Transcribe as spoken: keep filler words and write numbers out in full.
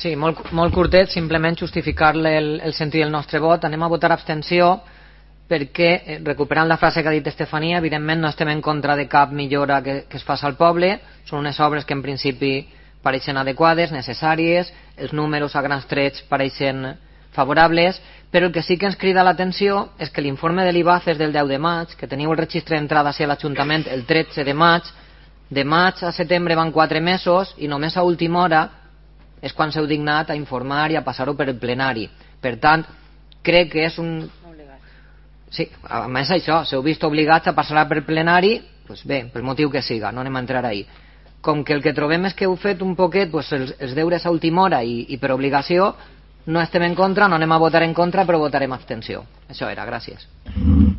Sí, molt, molt curtet, simplement justificar-le el, el sentit del nostre vot. Anem a votar abstenció perquè, recuperant la frase que ha dit Estefania, evidentment no estem en contra de cap millora que, que es faci al poble, són unes obres que en principi pareixen adequades, necessàries, els números a grans trets pareixen favorables, però el que sí que ens crida l'atenció és que l'informe de l'I B A C és del deu de maig, que teniu el registre d'entrada a l'Ajuntament el tretze de maig, de maig a setembre van quatre mesos i només a última hora és quan s'heu dignat a informar i a passar-ho per el plenari. Per tant, crec que és un... Sí, a més això, s'heu vist obligats a passar per plenari, doncs bé, pel motiu que siga, no anem a entrar ahí. Com que el que trobem és que heu fet un poquet doncs, els, els deures a última hora i, i per obligació, no estem en contra, no anem a votar en contra, però votarem abstenció. Això era, gràcies.